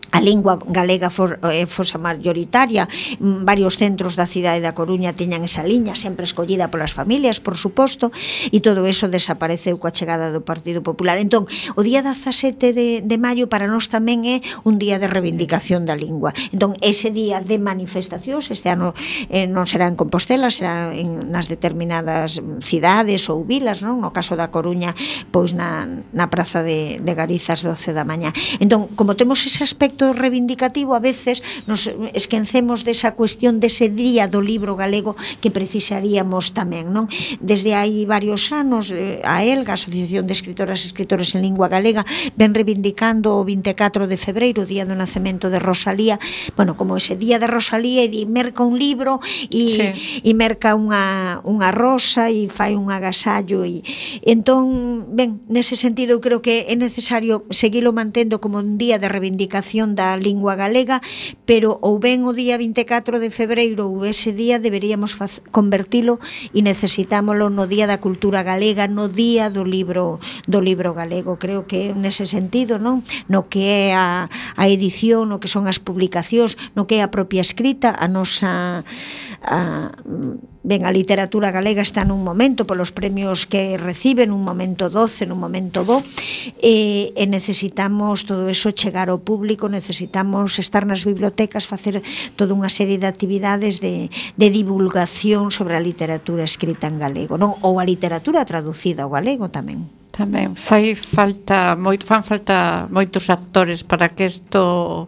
a lingua galega for, eh, fosa mayoritaria. Varios centros da cidade da Coruña tiñan esa liña, sempre escollida polas familias, por suposto, e todo eso desapareceu coa chegada do Partido Popular. Entón, o día dezasete de, de maio para nós tamén é un día de reivindicación da lingua. Entón, ese día de manifestacións, este ano eh, non será en Compostela, será en, nas determinadas cidades ou vilas, non? No caso da Coruña, pois na, na Praza de, de Garizas, doce da mañá. Entón, como temos ese aspecto reivindicativo, a veces nos esquecemos desa cuestión dese día do libro galego que precisaríamos tamén, non? Desde hai varios anos a ELGA, a Asociación de Escritoras e Escritores en Lingua Galega, ven reivindicando o vinte e catro de febreiro, o día do nacemento de Rosalía, bueno, como ese día de Rosalía, e di, merca un libro e, sí. e merca unha, unha rosa e fai un agasallo e entón, ben, nese sentido eu creo que é necesario seguilo mantendo como un día de reivindicación celebración da lingua galega, pero ou ben o día vinte e catro de febreiro ou ese día deberíamos faz, convertilo e necesitámolo no Día da Cultura Galega, no Día do libro do libro galego. Creo que nese sentido, non? No que é a, a edición, no que son as publicacións, no que é a propia escrita, a nosa a, ben, a literatura galega está nun momento polos premios que recibe, nun momento doce, nun momento bo, e, e necesitamos todo eso chegar ao público, necesitamos estar nas bibliotecas, facer toda unha serie de actividades de, de divulgación sobre a literatura escrita en galego, non? Ou a literatura traducida ao galego tamén. Tamén fai falta moito, fan falta moitos actores para que isto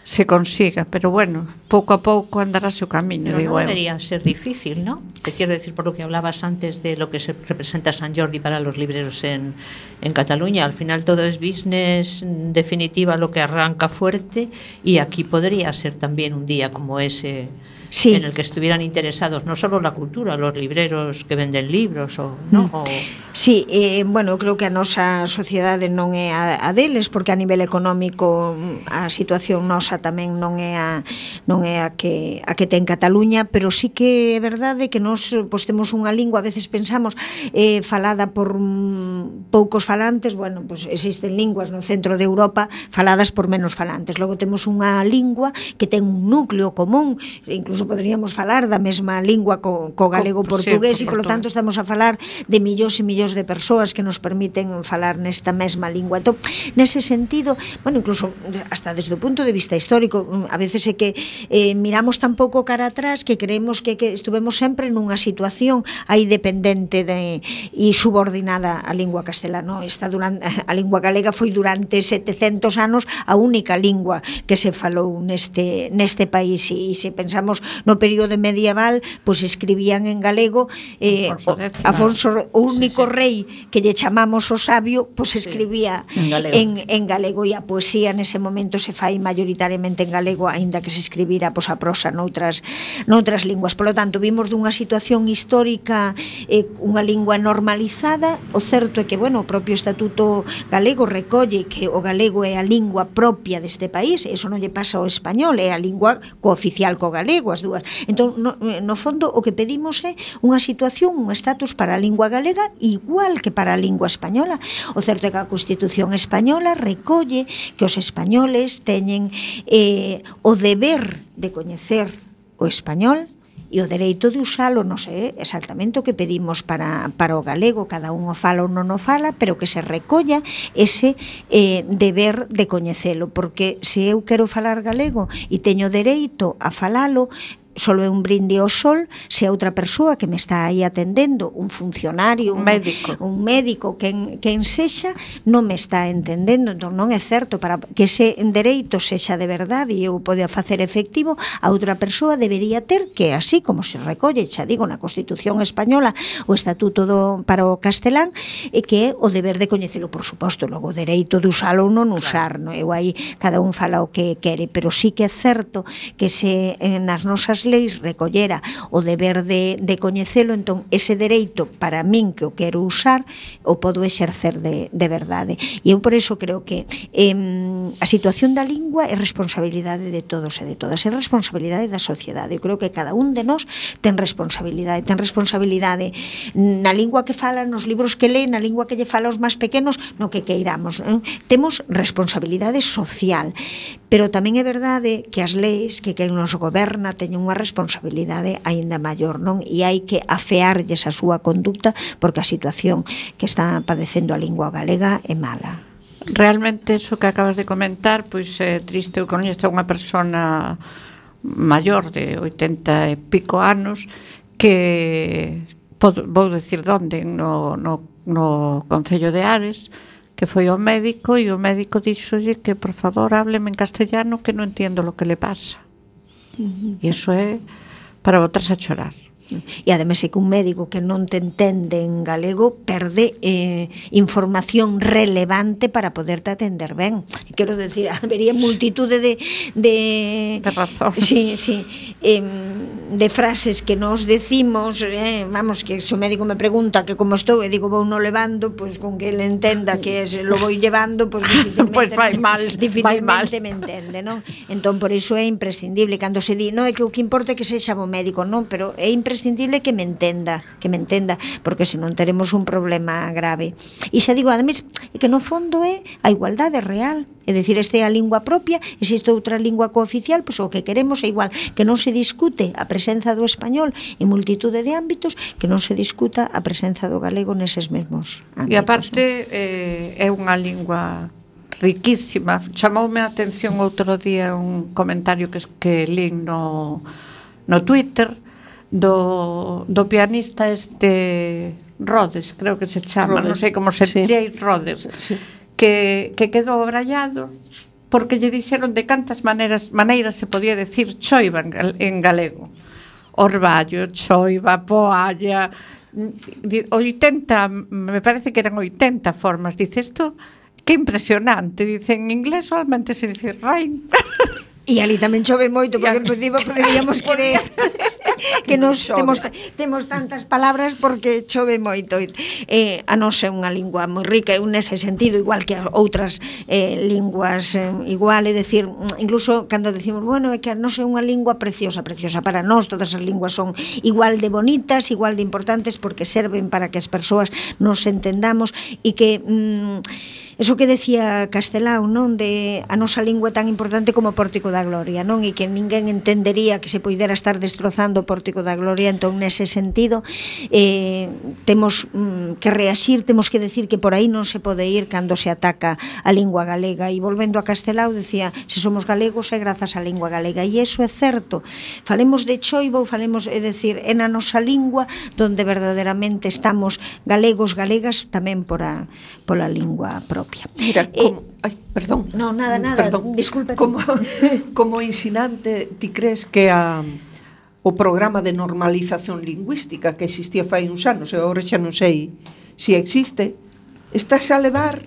se consiga, pero bueno, pouco a pouco andarase o camiño, pero digo no eu. debería ser difícil, ¿no? Te quiero decir, por lo que hablabas antes de lo que se representa San Jordi para los libreros en, en Cataluña, al final todo es business, en definitiva lo que arranca fuerte, y aquí podría ser también un día como ese, sí, en el que estuvieran interesados no solo la cultura, los libreros que venden libros, o, ¿no? Mm. O, sí, eh, bueno, creo que a nosa sociedade non é a, a deles, porque a nivel económico a situación nosa tamén non é a non é a que a que ten Cataluña, pero sí que é verdade que nós pois temos unha lingua, a veces pensamos eh, falada por mm, poucos falantes, bueno, pois existen linguas no centro de Europa faladas por menos falantes. Logo temos unha lingua que ten un núcleo común, incluso poderíamos falar da mesma lingua co, co galego portugués, sí, e polo tanto estamos a falar de millóns e millóns de persoas que nos permiten falar nesta mesma lingua. Entón, nese sentido, bueno, incluso hasta desde o punto de vista histórico, a veces é que eh, miramos tan pouco cara atrás que creemos que, que estuvemos sempre nunha situación aí dependente de, e subordinada á lingua castelana. Esta durante, a lingua galega foi durante setecentos anos a única lingua que se falou neste, neste país, e, e se pensamos no período medieval, pois escribían en galego, eh, Afonso, X, Afonso o único sí, sí. rei que lle chamamos o sabio, pois escribía sí, en, galego. En, en galego, e a poesía nese momento se fai maioritariamente en galego, aínda que se escribira pois, a prosa noutras, noutras linguas. Por lo tanto, vimos dunha situación histórica, eh, unha lingua normalizada. O certo é que, bueno, o propio Estatuto galego recolle que o galego é a lingua propia deste país, eso non lle pasa ao español, é a lingua cooficial co galego, as dúas. Entón, no, no fondo, o que pedimos é unha situación, un estatus para a lingua galega igual que para a lingua española. O certo é que a Constitución española recolle que os españoles teñen eh, o deber de coñecer o español e o dereito de usalo. Non sei exactamente o que pedimos para, para o galego, cada un o fala ou non o fala, pero que se recolla ese eh, deber de coñecelo, porque se eu quero falar galego e teño dereito a falalo, solo é un brinde ao sol se a outra persoa que me está aí atendendo, un funcionario, un médico, un médico quen, quen sexa, non me está entendendo. Entón non é certo, para que ese dereito sexa de verdade e eu poda facer efectivo, a outra persoa debería ter que, así como se recolle, xa digo, na Constitución española, o Estatuto do, para o castelán, e que é o deber de coñecelo, por suposto, logo o dereito de usalo ou non usar, claro. No? Eu aí cada un fala o que quere, pero sí que é certo que se nas nosas leis recollera o deber de, de coñecelo, entón ese dereito para min que o quero usar o podo exercer de, de verdade. E eu por eso creo que eh, a situación da lingua é responsabilidade de todos e de todas, é responsabilidade da sociedade. Eu creo que cada un de nós ten responsabilidade, ten responsabilidade na lingua que fala, nos libros que lee, na lingua que lle fala aos máis pequenos, no que queiramos. Eh? Temos responsabilidade social, pero tamén é verdade que as leis, que quen nos goberna teñen unha responsabilidade aínda maior, non? E hai que afearlles a súa conducta, porque a situación que está padecendo a lingua galega é mala. Realmente eso que acabas de comentar, pois é triste. Eu coñezo unha persona maior de oitenta e pico anos que, vou decir onde, no, no, no Concello de Ares, que foi ao médico e o médico díxolle que por favor hábleme en castellano que non entiendo lo que le pasa. Uh-huh. E iso é para botarse a chorar. E ademais é que un médico que non te entende en galego perde eh, información relevante para poderte atender ben. Quero decir, habería multitude de de, de razón. Sí, sí. Eh, de frases que nos decimos, eh, vamos, que se o médico me pregunta que como estou e digo vou no levando, pois pues, con que ele entenda que es, lo vou llevando, pois pues, difícilmente, pues vai mal, vai mal. me entende, non? Entón por iso é imprescindible cando se di, non é que o que importa é que sexa bo médico, non, pero é imprescindible que me entenda, que me entenda, porque senón teremos un problema grave. E xa digo, ademais, é que no fondo é a igualdade real, é dicir, este é a lingua propia, existe outra lingua cooficial, pois o que queremos é igual, que non se discute a presenza do español en multitude de ámbitos, que non se discuta a presenza do galego neses mesmos ámbitos. E aparte eh, é unha lingua riquísima. Chamoume a atención outro día un comentario que, que lín no, no Twitter do, do pianista este Rhodes, creo que se chama, non sei como se sí. Jay Rhodes, sí. que, que quedou abrallado porque lle dixeron de cantas maneiras maneiras se podía decir choiva en, en galego. Orballo, choiva, poalla, oitenta, me parece que eran oitenta formas. Dice isto, que impresionante. Dice, en inglés solamente se dice rain. E ali tamén chove moito, porque en principio poderíamos creer que nos temos, temos tantas palabras porque chove moito. Eh, a nos é unha lingua moi rica, e nese sentido, igual que outras eh, linguas, eh, igual, é decir, incluso cando decimos, bueno, é que a nos é unha lingua preciosa, preciosa para nós, todas as linguas son igual de bonitas, igual de importantes, porque serven para que as persoas nos entendamos, e que... Mm, eso que decía Castelao, non, de a nosa lingua é tan importante como o Pórtico da Gloria, non, e que ninguén entendería que se poidera estar destrozando o Pórtico da Gloria. Entón, nese sentido, eh, temos mm, que reaxir, temos que decir que por aí non se pode ir cando se ataca a lingua galega. E volvendo a Castelao, decía, se somos galegos é grazas á lingua galega, e iso é certo. Falemos de choiva ou falemos, é decir, é na nosa lingua donde verdadeiramente estamos galegos, galegas, tamén por a, pola lingua propia. Mira, como, eh, ay, perdón. No, nada, nada, perdón. Disculpe. Como, como ensinante, ti crees que a, o programa de normalización lingüística que existía fai uns anos, e agora xa non sei se si existe, estás a levar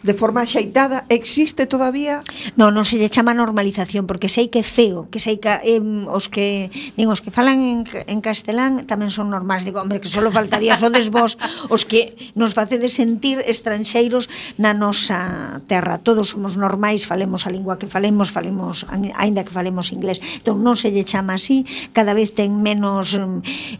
de forma axeitada, existe todavía? Non, non se lle chama normalización, porque sei que é feo, que sei que eh, os que digo, os que falan en, en castelán tamén son normais. Digo, hombre, que solo faltaría sodes vos os que nos facedes sentir estranxeiros na nosa terra. Todos somos normais, falemos a lingua que falemos, falemos aínda que falemos inglés. Entón non se lle chama así, cada vez ten menos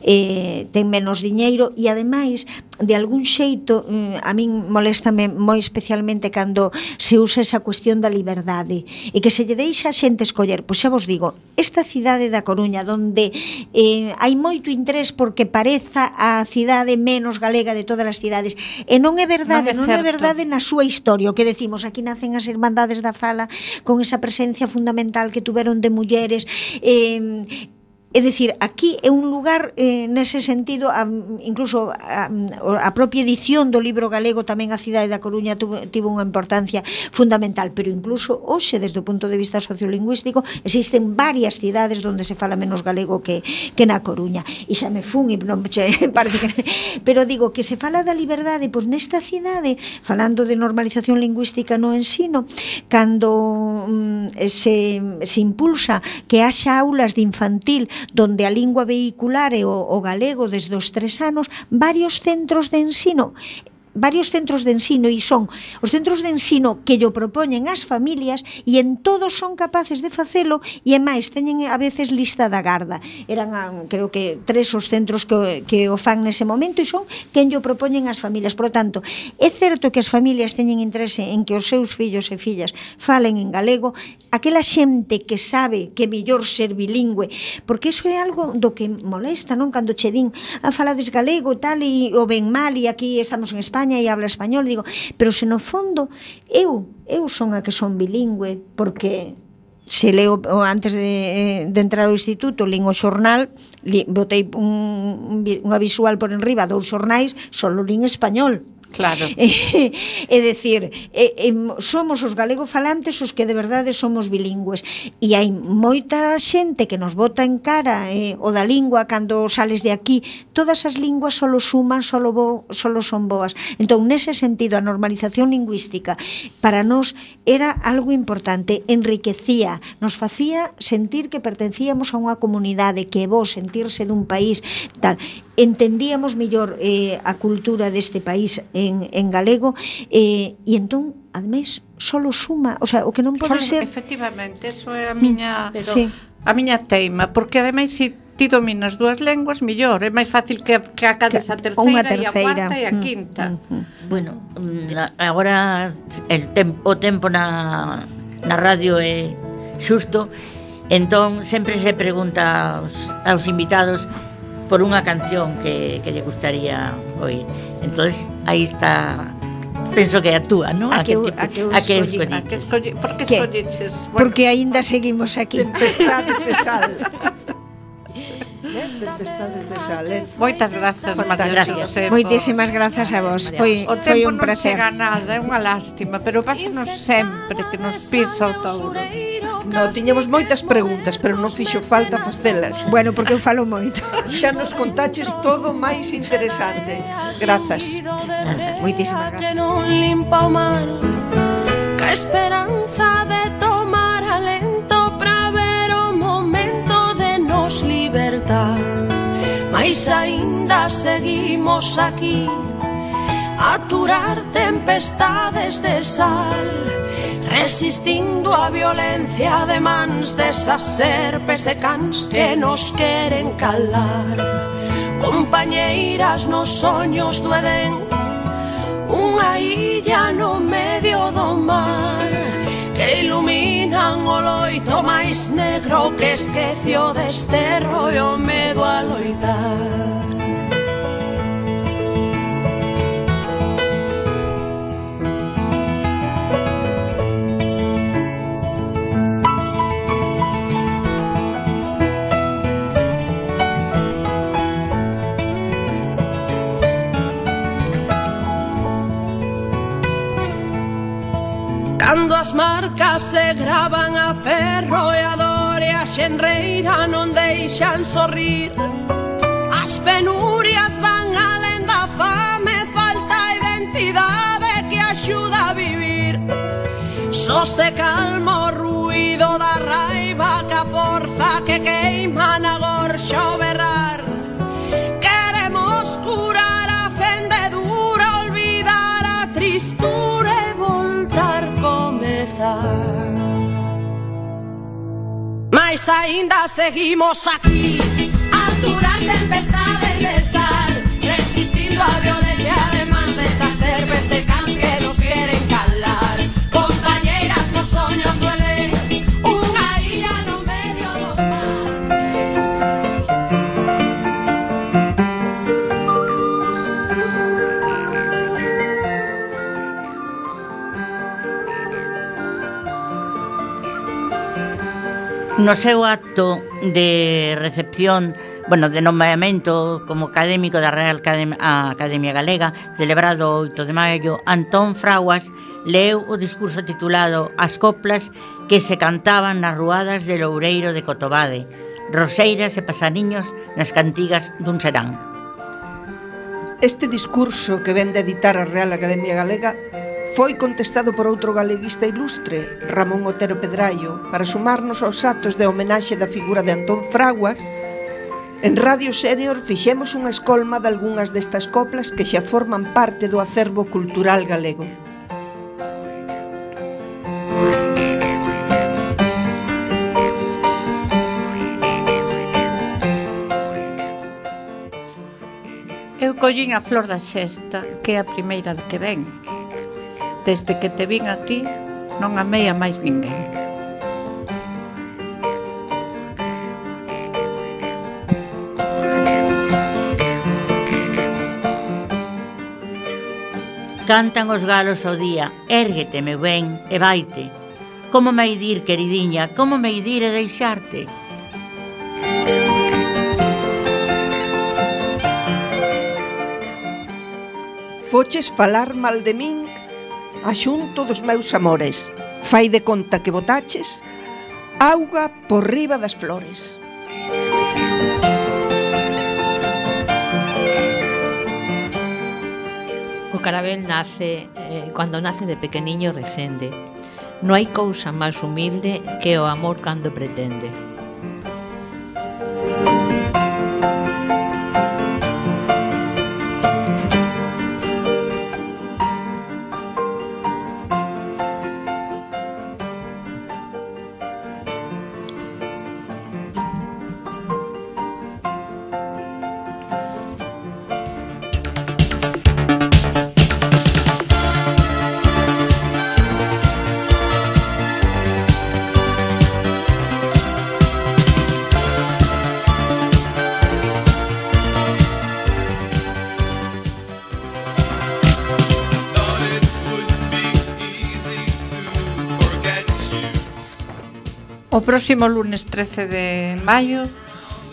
eh, ten menos diñeiro, e ademais, de algún xeito, a min moléstame moi especialmente cando se usa esa cuestión da liberdade e que se lle deixa a xente escoller. Pois xa vos digo, esta cidade da Coruña, donde eh, hai moito interés porque pareza a cidade menos galega de todas as cidades, e non é verdade, non é, non é verdade na súa historia. O que decimos, aquí nacen as Irmandades da Fala con esa presencia fundamental que tuveron de mulleres, eh, é dicir, aquí é un lugar eh, nese sentido, a, incluso a, a propia edición do libro galego tamén a cidade da Coruña tuvo, tivo unha importancia fundamental, pero incluso hoxe, desde o punto de vista sociolingüístico, existen varias cidades onde se fala menos galego que, que na Coruña, e xa me fun e non che, parece que, pero digo que se fala da liberdade, pois nesta cidade, falando de normalización lingüística no ensino, cando mm, se, se impulsa que haxa aulas de infantil donde a lingua vehicular é o, o galego desde os tres anos, varios centros de ensino varios centros de ensino, e son os centros de ensino que llo propoñen as familias, e en todos son capaces de facelo, e é máis, teñen a veces lista da garda. Eran, creo que, tres os centros que, que o fan nese momento, e son quen llo propoñen as familias. Por lo tanto, é certo que as familias teñen interese en que os seus fillos e fillas falen en galego, aquela xente que sabe que é mellor ser bilingüe, porque iso é algo do que molesta, non? Cando che din, a falades galego, tal, e o ben mal, e aquí estamos en España e habla español, digo, pero se no fondo eu, eu son a que son bilingüe, porque se leo antes de, de entrar ao instituto, lín o xornal, li, botei un, unha visual por enriba dous xornais, solo lín español, Claro. É, é dicir, é, é, somos os galegofalantes os que de verdade somos bilingües, e hai moita xente que nos bota en cara eh, o da lingua cando sales de aquí. Todas as linguas solo suman, solo, bo, solo son boas. Entón, nese sentido, a normalización lingüística para nós era algo importante, enriquecía, nos facía sentir que pertencíamos a unha comunidade, que é bo sentirse dun país tal. Entendíamos mellor eh, a cultura deste país en, en galego, eh, e entón, ademais, solo suma, o sea, o que non pode solo, ser... Efectivamente, eso é a miña, pero, sí. a miña teima, porque ademais, se ti dominas dúas lenguas, mellor, é máis fácil que, que acades a terceira, terceira e a cuarta e a quinta. Mm, mm, bueno, agora el tem, o tempo na, na radio é xusto, entón sempre se pregunta aos, aos invitados por unha canción que, que lle gustaría oír. Entonces, aí está, penso que é a túa, non? A que, a que, a que escolliches. Por que escolliches? Bueno, porque aínda seguimos aquí. Tempestades de sal. Tempestades de sal, eh? Moitas grazas, María Xosé. Moitísimas grazas a vos. Foi, o foi tempo un placer. Non chega nada, é unha lástima, pero pásanos sempre que nos pisa o touro. No, tiñamos moitas preguntas, pero non fixo falta facelas. Bueno, porque eu falo moito. Xa nos contaches todo máis interesante. Grazas. Moitísimas grazas. Non limpa o mal, que esperanza de tomar alento para ver o momento de nos libertar. Mais aínda seguimos aquí a aturar tempestades de sal, resistindo a violencia de mans desas serpes e cans que nos queren calar. Compañeiras nos soños do Edén, unha illa no medio do mar, que iluminan o loito máis negro que esquece o desterro e o medo a loitar. Cando as marcas se gravan a ferro e a dor e a xenreira non deixan sorrir, as penurias van alén da fame, falta identidade que axuda a vivir. Só se calma o ruído da raiva, que a forza que queima na gorxa o berrar. Queremos curar a fendedura, olvidar a tristura e voltar comezar. Mas aínda seguimos aquí a aturar tempestades de sal, resistindo a violencia de mans desas serpes e cans que nos queren calar. Compañeiras nos soños duelen, unha illa no medio do mar. No seu acto de recepción, bueno, de nomeamento como académico da Real Academia Galega, celebrado o oito de maio, Antón Fraguas leu o discurso titulado As coplas que se cantaban nas ruadas de Loureiro de Cotobade, roseiras e pasaniños nas cantigas dun serán. Este discurso que ven de editar a Real Academia Galega foi contestado por outro galeguista ilustre, Ramón Otero Pedraio, para sumarnos aos actos de homenaxe da figura de Antón Fraguas. En Radio Senior fixemos unha escolma de algunhas destas coplas que xa forman parte do acervo cultural galego. Eu collín a flor da xesta, que é a primeira que ven. Desde que te vin a ti, non amei a máis ninguén. Cantan os galos ao día, érguete, meu ben, e vaite. Como me dir, queridiña, como me dir e deixarte? foches falar mal de min a xunto dos meus amores. Fai de conta que botaches auga por riba das flores. O carabel nace, eh, cando nace de pequeniño recende. Non hai cousa máis humilde que o amor cando pretende. O próximo lunes trece de maio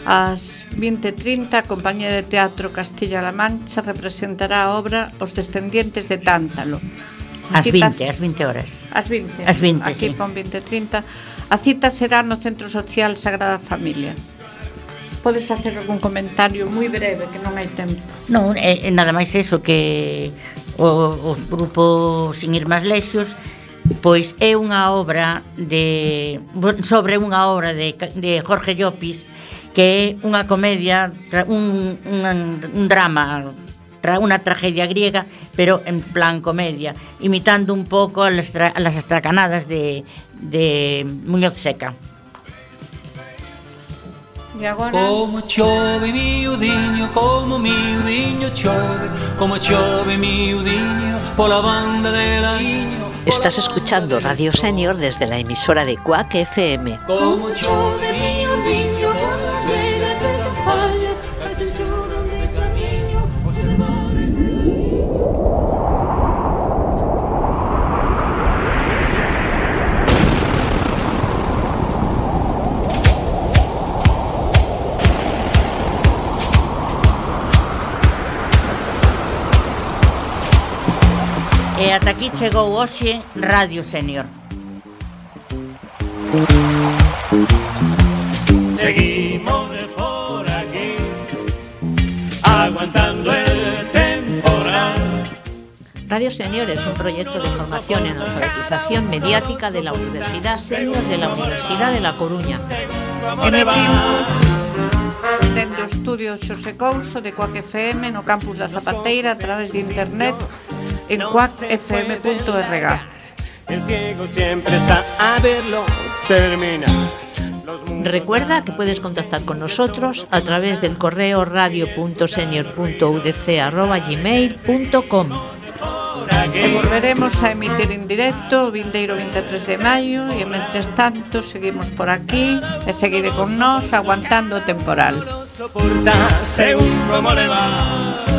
ás vinte e trinta a Compañía de Teatro Castilla-La Mancha representará a obra Os descendientes de Tántalo. Ás vinte, ás vinte horas. Ás vinte. Ás vinte, aquí sí. pon vinte e trinta. A cita será no Centro Social Sagrada Familia. Podes facer algún comentario moi breve, que non hai tempo. Non, é, é nada máis eso, que o, o grupo Sin Ir Máis Lexos pois é unha obra de sobre unha obra de, de Jorge Llopis, que é unha comedia, un, un, un drama, unha tragedia griega, pero en plan comedia, imitando un pouco las, las estracanadas de, de Muñoz Seca. E agora? Como chove miudiño, como miudiño chove, como chove miudiño pola banda de la Iño. Estás escuchando Radio Senior desde la emisora de Quack F M. Como chove miudiño polas vegas de campaña, as el choro de camiño, os hermanos. E ata aquí chegou hoxe Radio Senior. Seguimos por aquí, aguantando el temporal. Radio Senior es un proyecto de formación en alfabetización mediática de la Universidad Senior de la Universidad de La Coruña. Emitimos dende o estudio Xosé Couso de Quack F M no campus da Zapateira a través de internet en quack f m punto r g. El ciego siempre está a verlo terminar. Recuerda que puedes contactar con nosotros a través del correo radio punto senior punto u d c arroba gmail punto com. E volveremos a emitir en directo o vindeiro vinte e tres de maio e, mentres tanto, seguimos por aquí e seguide con nós aguantando o temporal. Soporta según como le va.